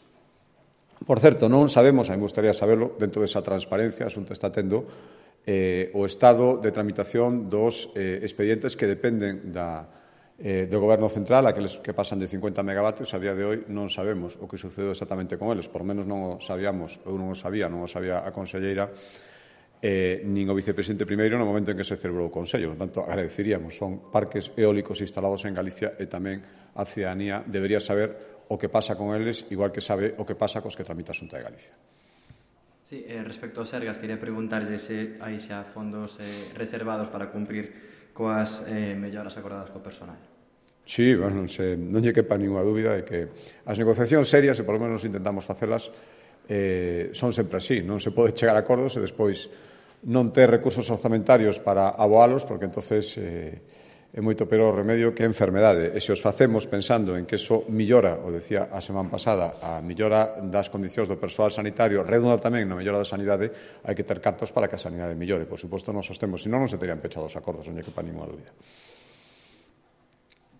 Por certo, non sabemos, a mí me gustaría saberlo, dentro desa transparencia, a Xunta está tendo eh, o estado de tramitación dos eh, expedientes que dependen da Eh, do Goberno Central, aqueles que pasan de cincuenta megavatios, a día de hoy non sabemos o que sucedeu exactamente con eles, por lo menos non o sabíamos, eu non o sabía, non o sabía a conselleira, eh, nin o vicepresidente primeiro no momento en que se celebrou o Consello. Por tanto, agradeceríamos, son parques eólicos instalados en Galicia e tamén a cidadanía debería saber o que pasa con eles, igual que sabe o que pasa cos que tramita a Xunta de Galicia. Sí, eh, respecto aos Sergas, quería preguntarlle se hai xa fondos eh, reservados para cumprir coas eh, melloras acordadas co personal. Sí, bueno, non, se, non lle quepa ninguna dúbida de que as negociacións serias, e por lo menos intentamos facelas, eh, son sempre así. Non se pode chegar a acordos e despois non ter recursos orzamentarios para aboalos, porque entonces eh, é moito peor o remedio que a enfermedade. E se os facemos pensando en que eso millora, o decía a semana pasada, a millora das condicións do persoal sanitario, redunda tamén na mellora da sanidade, hai que ter cartos para que a sanidade millore. Por suposto, non sostemos, senón non se terían pechado os acordos, non lle quepa ninguna dúbida.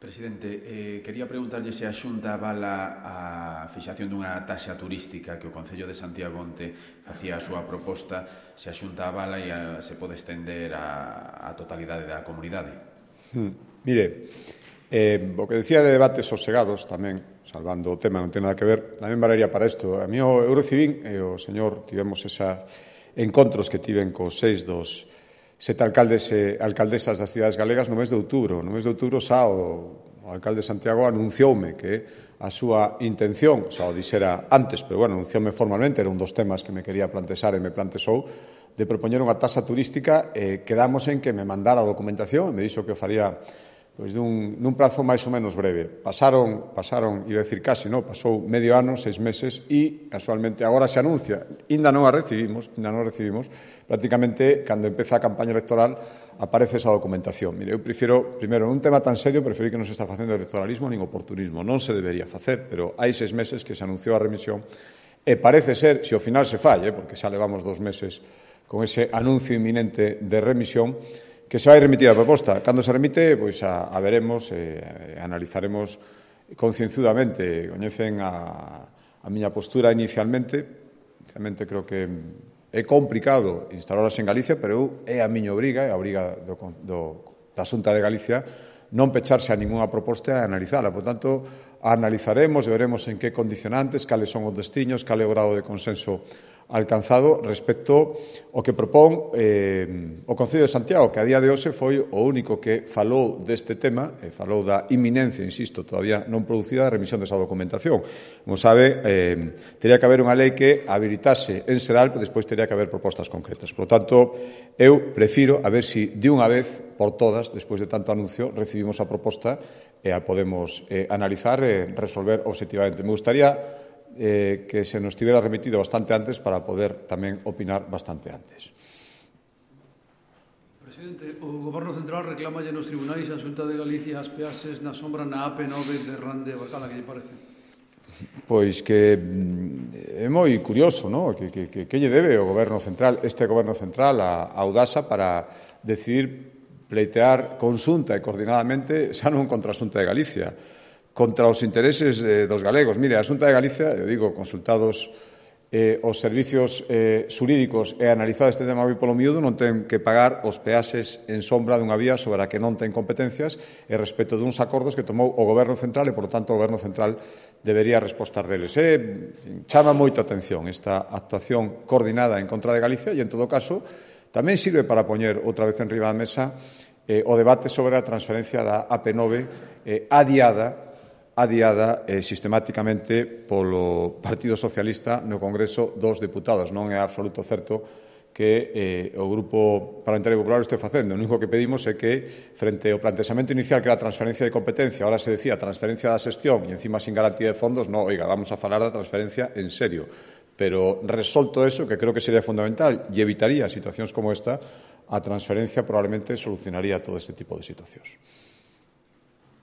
Presidente, eh, quería preguntarlle se a Xunta avala a fixación dunha taxa turística que o Concello de Santiago onte facía a súa proposta, se a Xunta avala e a, se pode estender a, a totalidade da comunidade. Hmm. Mire, eh, o que decía de debates sosegados tamén, salvando o tema, non ten nada que ver, tamén valería para isto. A mí o Eurocivil e o señor tivemos esos encontros que tiven cos seis dos sete alcaldes e alcaldesas das cidades galegas no mes de outubro. No mes de outubro xa o, o alcalde de Santiago anuncioume que a súa intención, xa o dixera antes, pero bueno, anuncioume formalmente, era un dos temas que me quería plantexar e me plantexou, de propoñer unha taxa turística, eh, quedamos en que me mandara a documentación, e me dixo que o faría pois, dun, nun prazo máis ou menos breve. Pasaron, pasaron, iba a decir casi, no? Pasou medio ano, seis meses, e casualmente agora se anuncia, ainda non a recibimos, ainda non a recibimos, prácticamente, cando empeza a campaña electoral, aparece esa documentación. Mire, eu prefiro, primeiro, nun tema tan serio, preferir que non se está facendo electoralismo nin oportunismo. Non se debería facer, pero hai seis meses que se anunciou a remisión, e parece ser, se ao final se falle, porque xa levamos dos meses con ese anuncio inminente de remisión, que se vai remitir a proposta. Cando se remite, pois a, a veremos, eh, analizaremos concienzudamente. Coñecen a, a miña postura inicialmente. Inicialmente creo que é complicado instalalas en Galicia, pero eu é a miña obriga, é a obriga do, do, da Xunta de Galicia, non pecharse a ninguna proposta e analizala. Por tanto, a analizaremos e veremos en que condicionantes, cales son os destinos, cal é o grado de consenso alcanzado respecto ao que propón eh, o Concello de Santiago, que a día de hoxe foi o único que falou deste tema, e falou da inminencia, insisto, todavía non producida, da remisión desa documentación. Como sabe, eh, teria que haber unha lei que habilitase en Seral, pero despois teria que haber propostas concretas. Por lo tanto, eu prefiro a ver si de unha vez por todas, despois de tanto anuncio, recibimos a proposta e a podemos eh, analizar e resolver obxectivamente. Me gustaría Eh, que se nos tivera remitido bastante antes para poder tamén opinar bastante antes. Presidente, o Goberno Central reclama nos tribunais a Xunta de Galicia as peaxes na sombra na A P nove de Rande Bacala, que lle parece? Pois que é moi curioso, non? Que, que, que, que lle debe o Goberno Central, este Goberno Central, a, a Audasa para decidir pleitear conxunta e coordinadamente xa non contra a Xunta de Galicia, contra os intereses eh, dos galegos. Mire, a Xunta de Galicia, eu digo, consultados eh, os servicios eh, xurídicos e analizado este tema moi polo miúdo, non ten que pagar os peaxes en sombra dunha vía sobre a que non ten competencias e respecto duns acordos que tomou o Goberno Central e, por tanto, o Goberno Central debería respostar deles. E chama moito a atención esta actuación coordinada en contra de Galicia e, en todo caso, tamén sirve para poñer outra vez en riba da mesa eh, o debate sobre a transferencia da A P nove eh, adiada adiada eh, sistemáticamente polo Partido Socialista no Congreso dos Deputados. Non é absoluto certo que eh, o Grupo Parlamentario Popular o este facendo. O único que pedimos é que, frente ao plantexamento inicial que era a transferencia de competencia, ahora se decía transferencia da xestión e, encima, sin garantía de fondos, no, oiga, vamos a falar da transferencia en serio. Pero, resolto eso, que creo que sería fundamental e evitaría situacións como esta, a transferencia probablemente solucionaría todo este tipo de situacións.